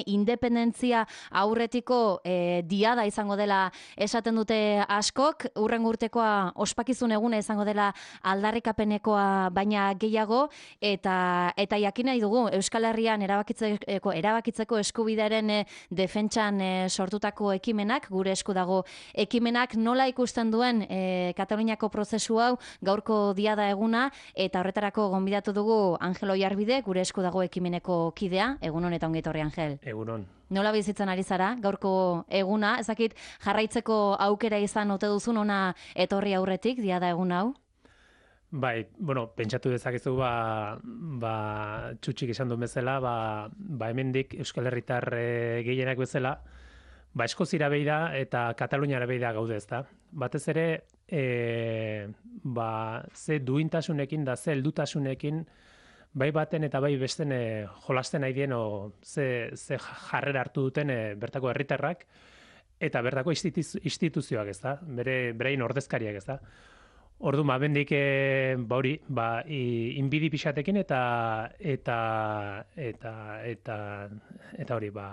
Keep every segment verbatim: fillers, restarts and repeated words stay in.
independentzia aurretiko e, diada izango dela esaten dute askok, urren urtekoa ospakizun eguna izango dela aldarrikapenekoa baina gehiago, eta eta jakin nahi dugu Euskal Herrian erabakitzeko, erabakitzeko eskubidearen e, defentsan e, sortutako ekimenak, gure esku dago ekimenak, nola ikusten duen e, Kataluniako prozesu hau gaurko diada eguna, eta horretarako gonbidatu dugu Angel Oiarbide, gure esku dago ekimeneko kidea. Egun honetan ongi etorri, Angel. Egunon. Nola bizitzen ari zara, gaurko eguna, ezakit jarraitzeko aukera izan ote duzun ona etorri aurretik, diada egun hau? Bai, bueno, pentsatu dezakezu ba, ba txutxik esan duen bezala, ba, ba hemendik Euskal Herritar e, gehienak bezala, ba Eskozira beira eta Kataluniara beira gaude, ezta. Batez ere, e, ba ze duintasunekin da ze heldutasunekin bai baten eta bai besten e, jolasten nahi dien o ze, ze jarrera hartu duten e, bertako herritarrak eta bertako instituzioak, ez da, bere berein ordezkariak, ez da. Orduan, ba, bendik, e, ba hori, ba, inbidi pixatekin eta eta eta eta eta hori, ba,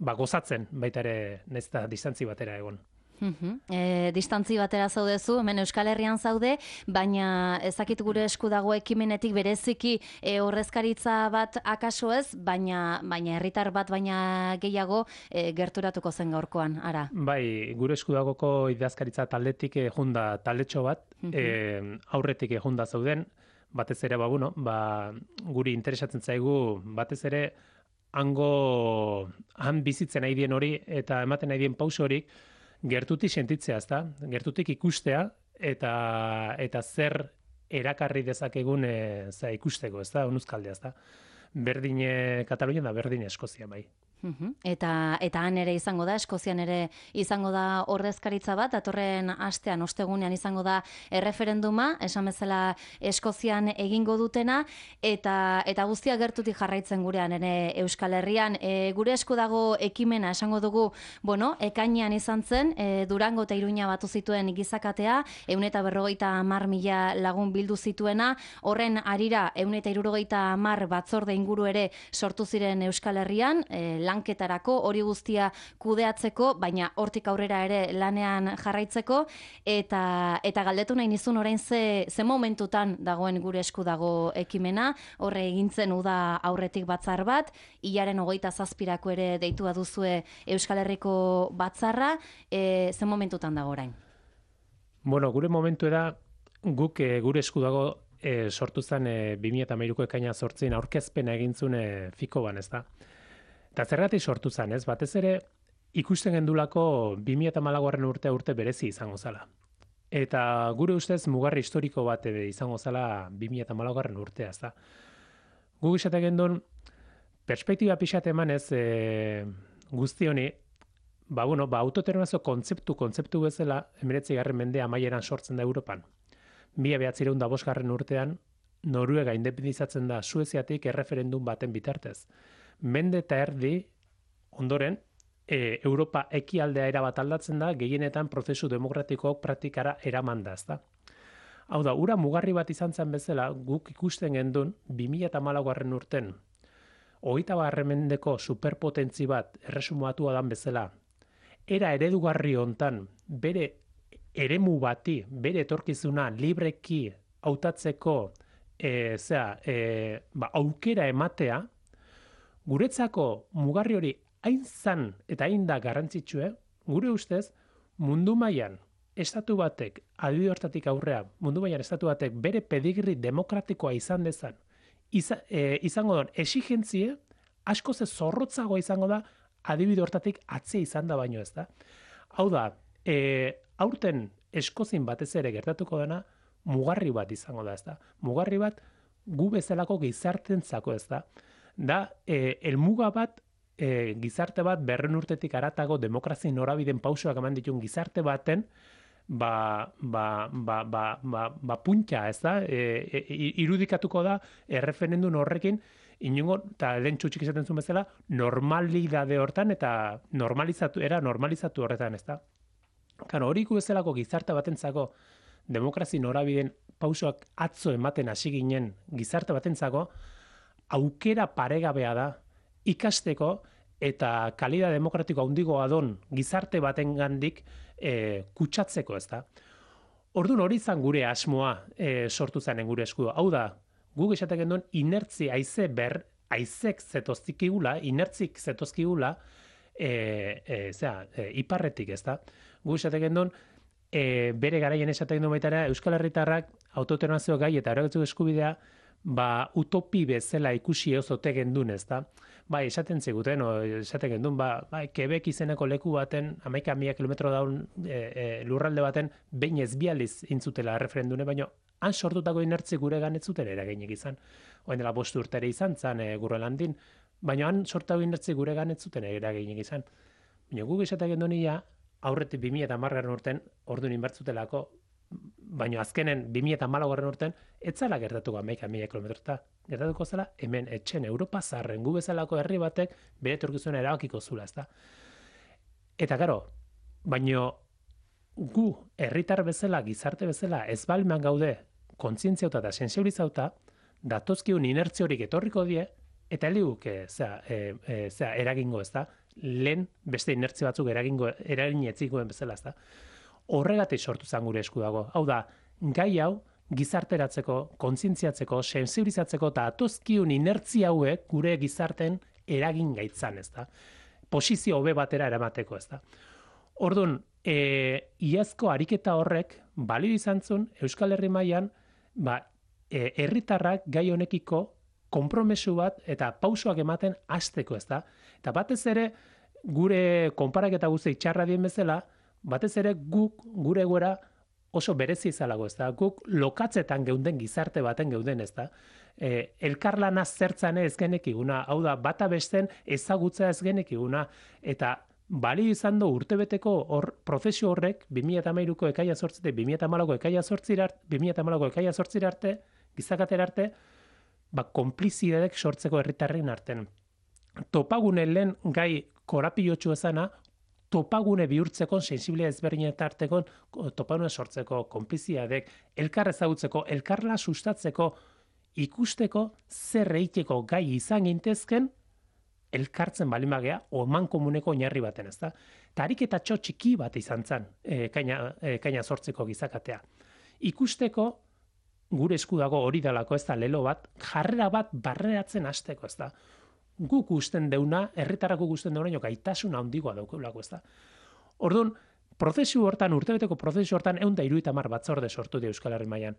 ba gozatzen baita ere nahiz eta distantzi batera egon. Uh-huh. E, distantzi batera zaudezu, hemen Euskal Herrian zaude, baina ezakit gure esku dago ekimenetik bereziki e, horrezkaritza bat akaso ez, baina baina herritar bat baina gehiago e, gerturatuko zen gaurkoan, ara. Bai, gure esku dagoko idazkaritza taldetik e, junda taldetxo bat, uh-huh. e, aurretik e, junda zauden, batez ere, ba, bueno, ba, guri interesatzen zaigu, batez ere, hango, han bizitzen nahi dien hori, eta ematen nahi dien pauso horik, gertutik sentitzea, ezta? Gertutik ikustea eta eta zer erakarri dezakegun e, za ikusteko, ezta? Onuzkaldea, ezta? Berdin Katalunia da berdin Eskozia bai. Uhum. Eta eta han ere izango da, Eskozian ere izango da ordezkaritza bat, datorren astean, ostegunean izango da erreferenduma, esan bezala Eskozian egingo dutena, eta eta guztia gertutik jarraitzen gurean ere Euskal Herrian. E, gure esku dago ekimena, esango dugu, bueno, ekainean izan zen, e, Durango eta Iruña batu zituen gizakatea, ehun eta berrogeita hamar mila lagun bildu zituena, horren harira ehun eta hirurogeita hamar batzorde inguru ere sortu ziren Euskal Herrian, e, lanketarako, hori guztia kudeatzeko, baina hortik aurrera ere lanean jarraitzeko, eta eta galdetu nahi nizun orain ze, ze momentutan dagoen gure esku dago ekimena, horre egintzen uda aurretik batzar bat, hilaren hogeita zazpirako ere deitua duzue Euskal Herriko batzarra, e, ze momentutan dago orain? Bueno, gure momentu da, guk e, gure esku dago e, sortu zen e, bi mila hamairuko ekaina zortzein aurkezpena egintzun e, fiko ban, ez da. Eta zergatik sortu zen, ez? Batez ere, ikusten gendulako bi mila hamalaugarren urtea urte berezi izango zala. Eta gure ustez mugarri historiko bat izango zala bi mila hamalaugarren urtea, ez da. Guk esate gendun, perspektiba pixat eman ez e, guzti honi, ba, bueno, ba, autodeterminazio kontzeptu, kontzeptu bezala, hemeretzigarren mendea amaieran sortzen da Europan. Mila behatziehun eta bosgarren urtean, Noruega independizatzen da Sueziatik erreferendum baten bitartez. Mende eta erdi, ondoren, e, Europa ekialdea erabat aldatzen da, gehienetan prozesu demokratikoak praktikara eraman da, ezta. Hau da, ura mugarri bat izan zen bezala, guk ikusten gendun, bi mila hamalaugarren urten, hogeita garren mendeko superpotentzi bat erresumatua dan bezala, era eredugarri hontan, bere eremu bati, bere etorkizuna libreki hautatzeko e, zera, e, ba, aukera ematea, guretzako mugarri hori hain zan eta hain da garrantzitsue, gure ustez, mundu mailan estatu batek, adibide hortatik aurrea, mundu mailan estatu batek bere pedigri demokratikoa izan dezan, iza, e, izango da, exigentzie, asko ze zorrotzagoa izango da, adibide hortatik atze izan da baino, ez da. Hau da, e, aurten Eskozin batez ere gertatuko dena, mugarri bat izango da, ez da. Mugarri bat gu bezalako gizartentzako, ez da. Da, e, elmuga bat, e, gizarte bat berren urtetik aratago demokrazi norabiden pausoak eman ditun gizarte baten, ba, ba, ba, ba, ba, ba puntxa, ez da, e, e, irudikatuko da erreferendum horrekin, inongo, eta lehen txutxik izaten zuen bezala, normalidade hortan eta normalizatu, era normalizatu horretan, ez da. Kano, hori bezalako gizarte batentzako demokrazi norabiden pausoak atzo ematen hasi ginen gizarte batentzako aukera paregabea da ikasteko eta kalidad demokratiko handigoa don gizarte batengandik e, kutsatzeko, ez da. Orduan hori izan gure asmoa e, sortu zanen gure eskudo. Hau da, guk esatek genduen inertzi haize ber, haizek zetozkigula, inertzik zetozkigula, e, e, zera, e, iparretik, ez da. Guk esatek genduen, e, bere garaien esatek genduen baitara, Euskal Herritarrak autodeterminazio gai eta erabakitzeko eskubidea, ba, utopi bezala ikusi ozote gendun, ez da. Bai, esaten ziguten, o, esaten gendun, ba, bai, Quebec izeneko leku baten, hamaika mila kilometro daun e, e, lurralde baten, behin ez bializ intzutela referendune, baina han sortutako inertzi gure ganetzuten eraginik izan. Oen dela bost urtere izan, zan e, Gurrelandin, baina han sortutako inertzi gure ganetzuten eraginik izan. Baina guk esaten gendun ia, aurretik bi mila hamargarren urten, orduan inbertzutelako, baina azkenen bi mila hamalaugarren urten, etzala gertatuko hamaika mila kilometrota. Gertatuko zela, hemen etxen Europa zarren gu bezalako herri batek bere etorkizuna erabakiko zula, ezta. Eta gero, baino gu herritar bezala, gizarte bezala, ez balman gaude kontzientziauta eta sensibilizauta, datozkiun inertzio horik etorriko die, eta heliguk e, zera, e, e, zera, eragingo, ezta. Lehen beste inertzio batzuk eragingo, eragin etzikoen bezala, ezta. Horregatik sortu zan gure esku dago. Hau da, gai hau gizarteratzeko, kontzientziatzeko, sensibilizatzeko eta atozkiun inertzia hauek gure gizarten eragin gaitzan, ez da. Posizio hobe batera eramateko, ez da. Orduan, e, iazko ariketa horrek balio izan zuen Euskal Herri mailan, ba, e, herritarrak gai honekiko konpromesu bat eta pausoak ematen hasteko, ez da. Eta batez ere, gure konparaketa guzti txarra dien bezala, batez ere guk gure egoera oso berezi izalago, ez da. Guk lokatzetan geunden gizarte baten geuden, ez da. E, elkarlana zertzan ez genekiguna, hau da, bata besten ezagutza ez genekiguna, eta bali izan du urtebeteko hor, prozesu horrek, bi mila hamairuko ekaia zortzitek, bi mila hamalauko ekaia zortzirarte, bi mila hamalauko ekaia zortzirarte, gizakater arte, ba, konplizidadek sortzeko herritarren arten. Topagune lehen gai korapilotxu ezana, topagune bihurtzeko, sensibilia ezberdinetarteko, topagune sortzeko, konplizidadek, elkar ezagutzeko, elkarla sustatzeko, ikusteko, zer eiteko gai izan gintezken, elkartzen balin bagea, oman komuneko oinarri baten, ez da? Eta ariketa txo txiki bat izan zen, e, kaina, e, kaina sortzeko gizakatea. Ikusteko, gure esku dago hori dalako, ez da, lelo bat, jarrera bat barreratzen hasteko, ez da? Guk usten deuna, herritarrako gusten deuna, gaitasun handigoa daukeulako, ez da? Orduan, prozesu hortan, urtebeteko prozesu hortan, ehun eta hirurogeita hamar batzorde sortu di Euskal Herri mailan.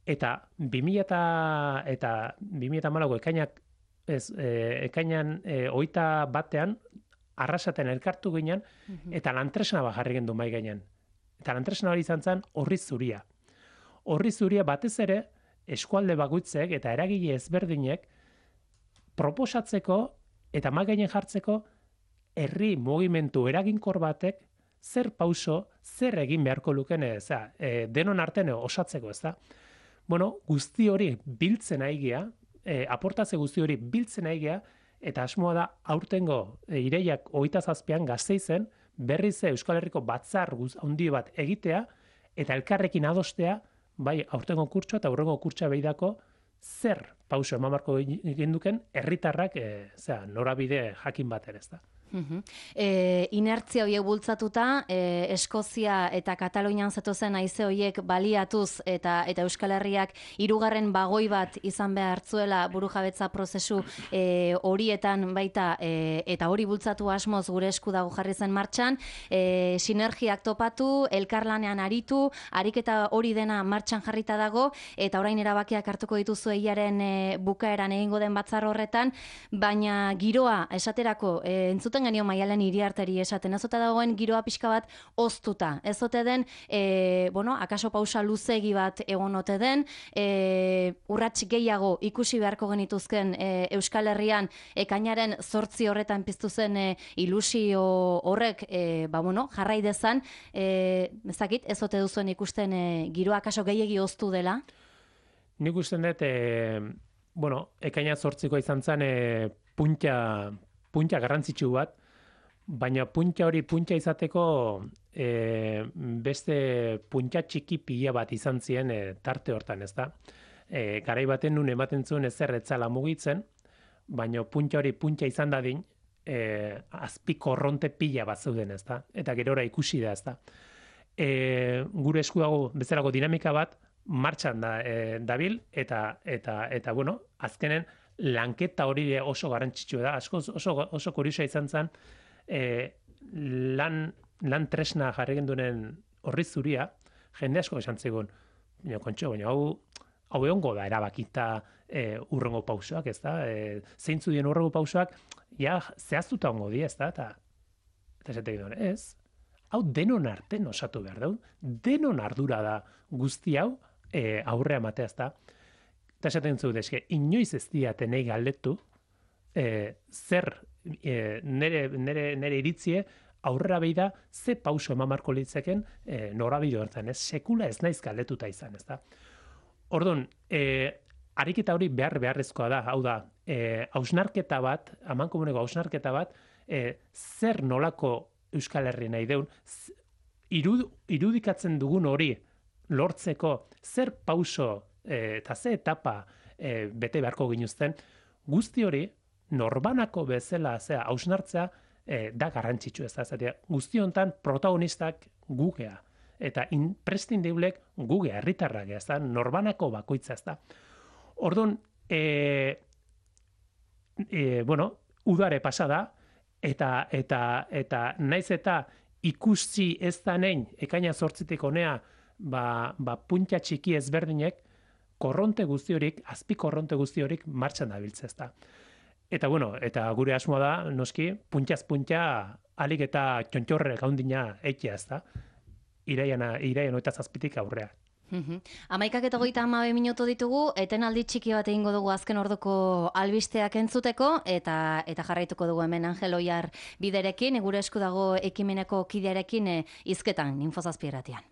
Eta bi mila eta bi mila hamalauko ekainak, ez, e, ekainan e, hogeita batean, arrasaten elkartu ginen, eta lantresna bat jarri gendu mai gainean. Eta lantresna hori izan zen horri zuria. Horri zuria batez ere, eskualde bakoitzek eta eragile ezberdinek proposatzeko eta mai gainen jartzeko herri mugimendu eraginkor batek zer pauso, zer egin beharko luken, eza, e, denon artean osatzeko, ez da? Bueno, guzti hori biltzen aigia, e, aportazio guzti hori biltzen aigia, eta asmoa da aurtengo e, ireiak hogeita zazpian Gasteizen berriz Euskal Herriko batzar handi bat egitea, eta elkarrekin adostea, bai aurtengo kurtsoa eta aurrengo kurtsoa behidako, zer pauso eman beharko egin duken herritarrak e, zera, norabide jakin bat ere, ez da. Uh-huh. E, inertzia horiek bultzatuta, e, Eskozia eta Katalunian zetozen haize horiek baliatuz eta eta Euskal Herriak hirugarren bagoi bat izan behar zuela burujabetza prozesu e, horietan baita e, eta hori bultzatu asmoz gure esku dago jarri zen martxan, e, sinergiak topatu, elkarlanean aritu, ariketa hori dena martxan jarrita dago, eta orain erabakiak hartuko dituzu eiaren e, bukaeran egingo den batzar horretan, baina giroa esaterako e, entzuten genio Maialen Iriarteri esaten, ez ote dagoen giroa pixka bat oztuta, ez ote den, e, bueno, akaso pausa luzegi bat egon ote den, e, urrats gehiago ikusi beharko genituzken e, Euskal Herrian ekainaren zortzi horretan piztu zen e, ilusio horrek, e, ba, bueno, jarrai dezan, e, ezakit, ez ote duzuen ikusten e, giroa akaso gehiegi oztu dela? Nik usten dut, e, bueno, ekaina zortziko izan zen e, punta punta garrantzitsu bat, baina punta hori punta izateko e, beste punta txiki pila bat izan ziren e, tarte hortan, ez da? E, garai baten nun ematen zuen ezer etzala mugitzen, baina punta hori punta izan dadin, e, azpi korronte pila bat zeuden, ez da? Eta gerora ikusi da, ez da? E, gure esku dago bezalako dinamika bat martxan da e, dabil, eta, eta, eta, bueno, azkenen lanketa hori oso garrantzitsua da, asko oso, oso kuriosa izan zen, e, lan, lan tresna jarri gendunen horri zuria, jende asko esan zigun, baina kontxo, baina hau, hau egongo da erabakita e, urrengo pausoak, ez da? E, zeintzu dien urrengo pausoak, ja, zehaztuta ongo di, ez da? Eta, eta esatek duen, ez, hau denon arten osatu behar dau, denon ardura da guzti hau e, aurrea matea, ez da? Eta esaten zu, deske, inoiz ez diate nahi galdetu, e, zer e, nere, nere, nere iritzie, aurrera behi da, ze pauso eman marko litzeken e, norabide hortan, ez? Sekula ez naiz galdetuta izan, ez da? Orduan, e, ariketa hori behar beharrezkoa da, hau da, e, hausnarketa bat, amankomuneko hausnarketa bat, e, zer nolako Euskal Herri nahi deun, irud, irudikatzen dugun hori lortzeko, zer pauso e, eta ze etapa e, bete beharko ginuzten, guzti hori norbanako bezala, zera, hausnartzea, E, da garrantzitsu ez da, zatea, guzti hontan protagonistak gugea, eta imprescindiblek gugea, herritarrak ez da, norbanako bakoitza ez da. Orduan, e, e, bueno, udare pasada, eta, eta, eta naiz eta ikusi ez da nein, ekaina zortzitik honea, ba, ba punta txiki ezberdinek, korronte guzti horik, azpi korronte guzti horik martxan dabiltza ez da. Eta bueno, eta gure asmoa da, noski, puntaz punta alik eta txontxorre gaundina eitea, ez da? Iraian, iraian oita zazpitik aurrea. Amaikak eta goita amabe minutu ditugu, etenaldi txiki bat egingo dugu azken orduko albisteak entzuteko, eta eta jarraituko dugu hemen Angel Oiar biderekin, gure esku dago ekimeneko kidearekin e, izketan, Infozazpi irratian.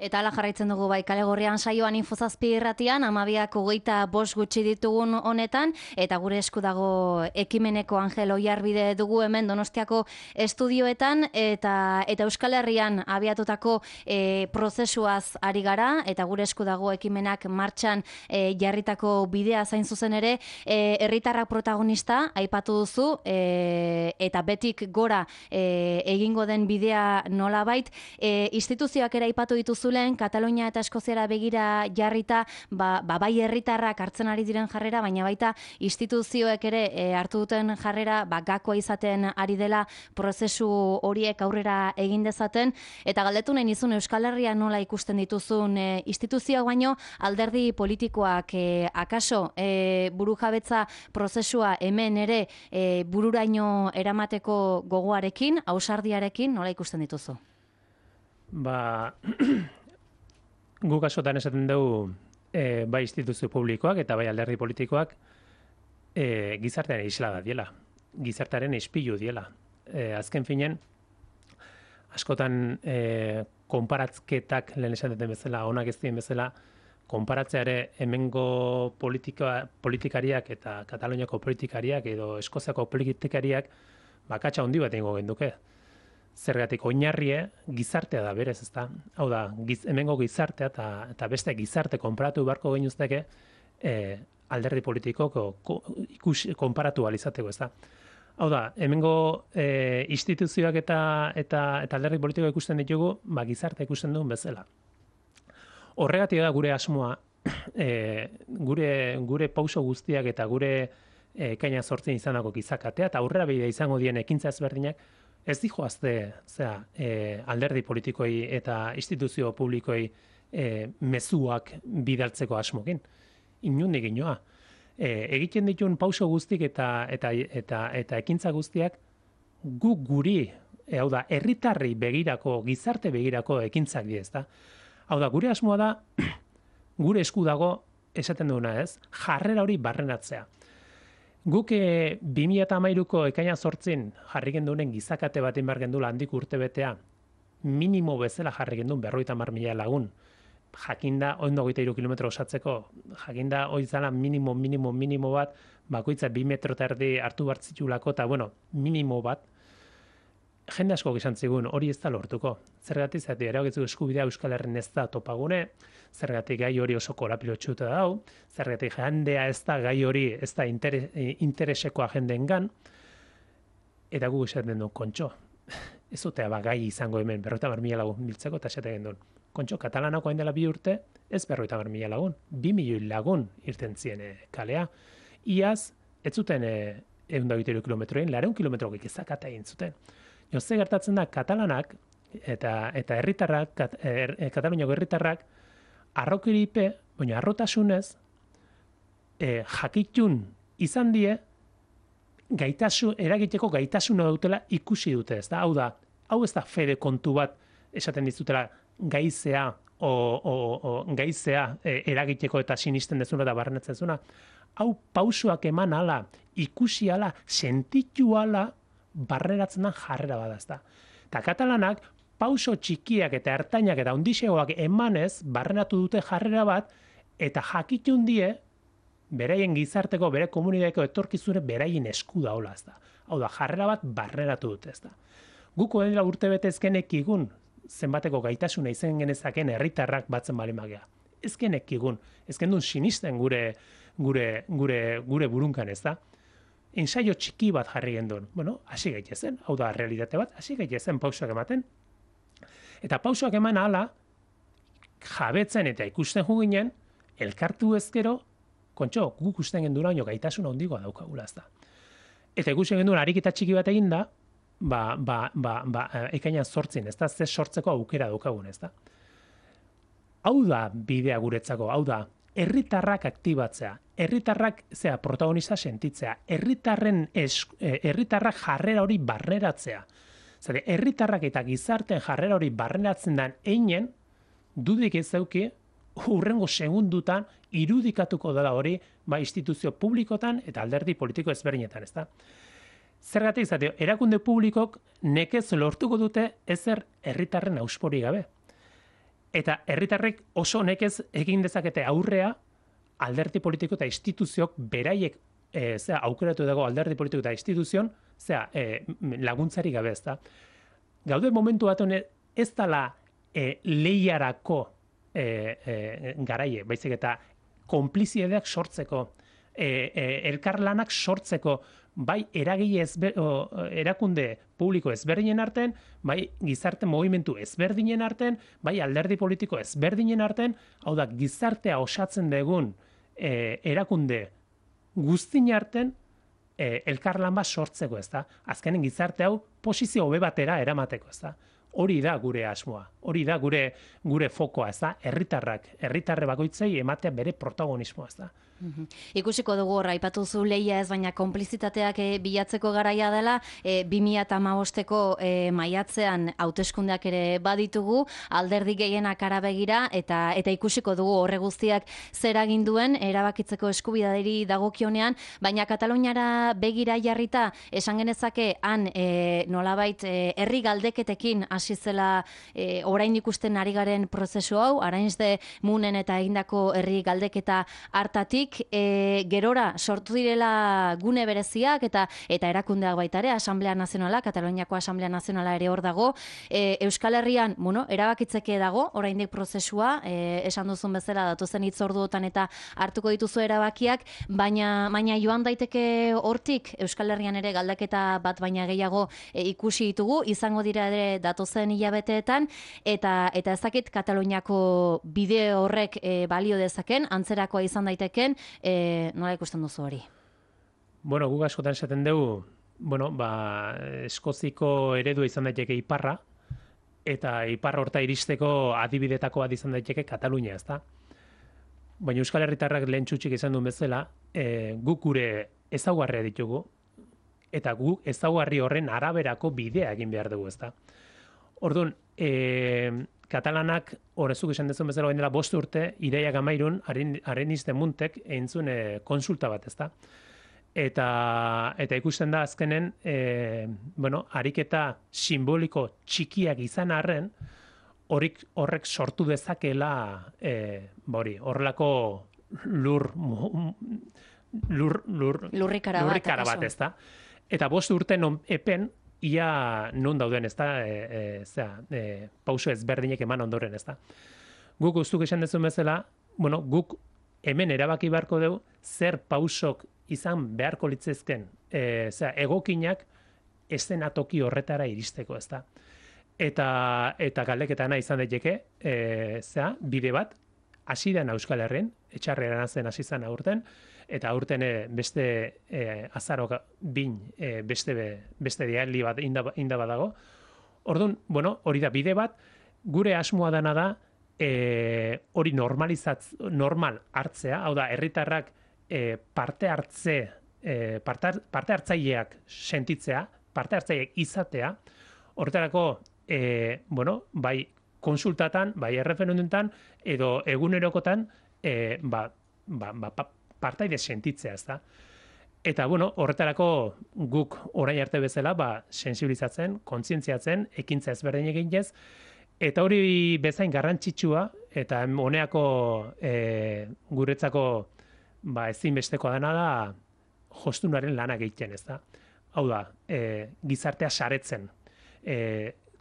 Eta ala jarraitzen dugu bai Kale Gorrian saioan Infozazpi irratian, amabiak hogeita bost gutxi ditugun honetan, eta gure esku dago ekimeneko Angel Oiarbide dugu hemen Donostiako estudioetan, eta eta Euskal Herrian abiatutako e, prozesuaz ari gara, eta gure esku dago ekimenak martxan e, jarritako bidea zain zuzen ere, e, herritarrak protagonista aipatu duzu, e, eta betik gora e, egingo den bidea nolabait, e, instituzioak ere aipatu dituzu lehen, Katalonia eta Eskoziara begira jarrita, ba, ba bai herritarrak hartzen ari diren jarrera, baina baita instituzioek ere e, hartu duten jarrera, ba gakoa izaten ari dela prozesu horiek aurrera egin dezaten, eta galdetu nahi nizun Euskal Herria nola ikusten dituzun e, instituzioak baino alderdi politikoak e, akaso e, burujabetza prozesua hemen ere e, bururaino eramateko gogoarekin, ausardiarekin nola ikusten dituzu? Ba, guk askotan esaten dugu e, bai instituzio publikoak eta bai alderdi politikoak e, gizartearen isla da diela, gizartearen ispilu diela. E, azken finen, askotan e, konparatketak lehen esan duten bezala, onak ez dien bezala, konparatzea ere hemengo politika, politikariak eta Kataloniako politikariak edo Eskoziako politikariak bakatsa handi bat egingo genduke. Zergatik oinarrie gizartea da berez, ezta? Hau da, giz, hemengo gizartea eta, eta beste gizarte konparatu beharko genuzteke e, alderdi politikoko ko, ikus, konparatu alizateko, ezta? Hau da, hemengo e, instituzioak eta, eta, eta alderdi politiko ikusten ditugu, ba, gizartea ikusten duen bezala. Horregatik da gure asmoa, e, gure, gure pauso guztiak eta gure e, kaina sortzen izanako gizakatea, eta aurrera bidea izango dien ekintza ezberdinak, ez dijoazte zera, e, alderdi politikoi eta instituzio publikoi e, mezuak bidaltzeko asmokin. Inundik inoa. E, egiten dituen pauso guztik eta, eta, eta, eta ekintza guztiak gu guri, e, hau da, herritarri begirako, gizarte begirako ekintzak di, ezta? Hau da, gure asmoa da, gure esku dago, esaten duguna ez, jarrera hori barrenatzea. Guk e, bi mila hamairuko ekaina zortzin jarri gendunen gizakate bat inbar gendula handik urte betea, minimo bezala jarri gendun berroita mar mila lagun. Jakinda, oindo goita iru kilometro osatzeko, jakinda oizala minimo, minimo, minimo bat, bakoitza bi metro eta erdi hartu bartzitulako, eta bueno, minimo bat, jende asko gizan zigun, hori ez da lortuko. Zergatik, zati, eragitzu eskubidea Euskal Herrin ez da topagune, zergatik gai hori oso korapilotxuta dau, zergatik jendea ez da gai hori ez da interes, intereseko agendengan, eta gu esaten du, kontxo, ez zutea ba, gai izango hemen, berroita mar mila lagun biltzeko, eta esaten duen, kontxo, katalanako hain dela bi urte, ez berroita mar mila lagun, bi milioi lagun irten zien e, kalea. Iaz, ez zuten e, egun da biteru kilometroen, lareun kilometro gezakata egin zuten. Jo, ze gertatzen da, katalanak, eta eta herritarrak, kat, er, Kataluniako herritarrak, arrokiripe, baina arrotasunez, e, jakitun izan die, gaitasun, eragiteko gaitasuna dutela ikusi dute, ez da? Hau da, hau ez da fede kontu bat esaten dizutela gaizea o, o, o gaizea e, eragiteko eta sinisten dezuna eta barrenetzen dezuna. Hau pausoak eman ala, ikusi ala, sentitu ala, barreratzen da jarrera bada, ez da? Eta katalanak, pauso txikiak eta ertainak eta ondixegoak emanez, barrenatu dute jarrera bat, eta jakitun die, beraien gizarteko, bere komunidadeko etorkizune beraien esku daola, ez da. Hau da, jarrera bat barreratu dute, ez da. Guko dela urte betezkenek igun, zenbateko gaitasuna izen genezaken herritarrak batzen bali magea. Ezkenek igun, ezken duen sinisten gure, gure, gure, gure burunkan, ez da. Ensaio txiki bat jarri gendun. Bueno, hasi gaitezen, hau da, realitate bat, hasi gaitezen pausoak ematen. Eta pausoak eman ala, jabetzen eta ikusten juginen, elkartu ezkero, kontxo, guk usten gendura oino gaitasuna ondigoa daukagula, ez da. Eta ikusten gendura ariketa txiki bat egin da, ba, ba, ba, ba, ekainan sortzin, ez da, ze sortzeko aukera daukagun, ez da. Hau da bidea guretzako, hau da, herritarrak aktibatzea, herritarrak zea protagonista sentitzea, herritarren herritarrak jarrera hori barreratzea. Zare, herritarrak eta gizarten jarrera hori barreratzen den einen, dudik ez dauki, hurrengo segundutan irudikatuko dela hori ba, instituzio publikotan eta alderdi politiko ezberdinetan, ezta? Zergatik izateo, erakunde publikok nekez lortuko dute ezer herritarren auspori gabe. Eta herritarrek oso nekez egin dezakete aurrea alderdi politiko eta instituziok beraiek e, zera, aukeratu dago alderdi politiko eta instituzion zera, e, laguntzari gabe, ezta? Gaude momentu bat hone ez dala e, lehiarako E, e, garaie, baizik eta konpliziedeak sortzeko, e, e, elkarlanak sortzeko, bai eragile ezber, o, erakunde publiko ezberdinen arten, bai gizarte movimentu ezberdinen arten, bai alderdi politiko ezberdinen arten, hau da gizartea osatzen dugun e, erakunde guztin arten e, elkarlan bat sortzeko, ez da? Azkenen gizarte hau posizio hobe batera eramateko, ez da? Hori da gure asmoa, hori da gure gure fokoa, ez da? Herritarrak, herritarre bakoitzei ematea bere protagonismoa, ez da? Uhum. Ikusiko dugu horra, aipatu zu lehia ez, baina konplizitateak e, bilatzeko garaia dela, e, bi mila hamabosteko e, maiatzean hauteskundeak ere baditugu, alderdi gehienak arabegira, eta eta ikusiko dugu horre guztiak zer egin duen erabakitzeko eskubidaderi dagokionean, baina Kataluniara begira jarrita, esan genezake han e, nolabait e, herri galdeketekin hasi zela e, orain ikusten ari garen prozesu hau, Arainzde Munen eta egindako herri galdeketa hartatik, E, gerora sortu direla gune bereziak eta eta erakundeak baita ere, Asamblea Nazionala, Kataluniako Asamblea Nazionala ere hor dago. E, Euskal Herrian, bueno, erabakitzeke dago, oraindik prozesua, e, esan duzun bezala datozen hitzorduotan eta hartuko dituzu erabakiak, baina baina joan daiteke hortik Euskal Herrian ere galdeketa bat baina gehiago e, ikusi ditugu, izango dira ere datozen hilabeteetan, eta eta ez dakit Kataluniako bide horrek e, balio dezaken, antzerakoa izan daiteken. E, nola ikusten duzu hori? Bueno, guk askotan esaten dugu, bueno, ba, Eskoziko eredua izan daiteke iparra, eta iparra horta iristeko adibidetako bat izan daiteke Katalunia, ezta? Baina Euskal Herritarrak lehen txutxik izan duen bezala, e, guk gure ezaugarria ditugu, eta guk ezaugarri horren araberako bidea egin behar dugu, ezta? Orduan, e, Katalanak, horrezuk esan dezun bezala dela bost urte, Iraiak amairun, Arenizde Muntek eintzun e, konsulta bat, ezta? Eta, eta ikusten da azkenen, e, bueno, ariketa simboliko txikiak izan arren, horik, horrek sortu dezakela, e, bori, horrelako lur, lur, lur, lurrikara bat, lurrikara bat, ezta? Eta bost urte non epen, ia non dauden, ez da, e, e, zera, e, pauso ezberdinek eman ondoren, ez da. Guk guztuk esan dezun bezala, bueno, guk hemen erabaki beharko dugu zer pausok izan beharko litzezken, e, zera, egokinak eszenatoki horretara iristeko, ez da. Eta, eta galdeketana izan daiteke, e, zera, bide bat, hasi den Euskal Herrin, etxarreran zen hasi zen aurten, eta aurten e, beste e, azaro bin, e, beste, beste dialdi bat inda, inda badago. Orduan, bueno, hori da bide bat, gure asmoa dana da, e, hori normalizatz, normal hartzea, hau da, herritarrak e, parte hartze, e, parte, parte hartzaileak sentitzea, parte hartzaileak izatea, horretarako, e, bueno, bai konsultatan, bai erreferendumetan, edo egunerokotan, e, ba, ba, ba, partaide sentitzea, ez da. Eta, bueno, horretarako guk orain arte bezala, ba, sensibilizatzen, kontzientziatzen, ekintza ezberdin egin ez, eta hori bezain garrantzitsua, eta honeako e, guretzako ba, ezinbestekoa dena da, jostunaren lanak egiten, ez da. Hau da, e, gizartea saretzen, e,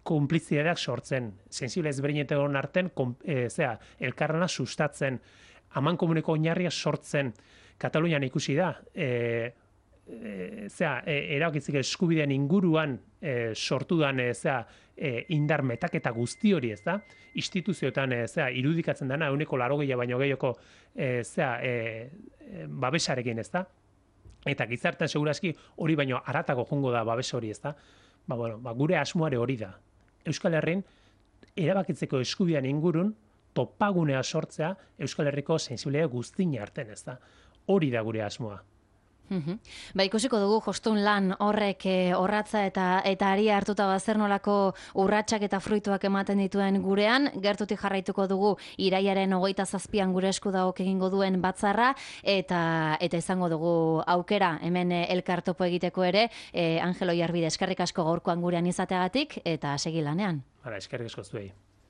konplizidadeak sortzen, sensible ezberdinetan arten, e, zera, elkarrana sustatzen, aman komuneko oinarria sortzen, Katalunian ikusi da, e, e, zera, e, erabakizik eskubideen inguruan e, sortu dan, e, zera, e, indar metaketa guzti hori, ez da, instituzioetan, e, zera, irudikatzen dana, euneko larogeia baino gehioko, e, zera, e, babesarekin, ez da, eta gizartean segurazki hori baino haratago jongo da babes hori, ez da, ba, bueno, ba, gure asmoare hori da. Euskal Herrin, erabakitzeko eskubidean ingurun, topagunea sortzea Euskal Herriko sensibilea guztina arten, ez da. Hori da gure asmoa. Uhum. Ba, ikusiko dugu jostun lan horrek e, orratza eta eta aria hartuta bazer nolako urratsak eta fruituak ematen dituen gurean, gertutik jarraituko dugu iraiaren hogeita zazpian gure esku daok egingo duen batzarra, eta eta izango dugu aukera hemen elkartopo egiteko ere, e, Angelo Jarbide, eskerrik asko gaurkoan gurean izateagatik, eta segi lanean. Hala, eskerrik asko zuei.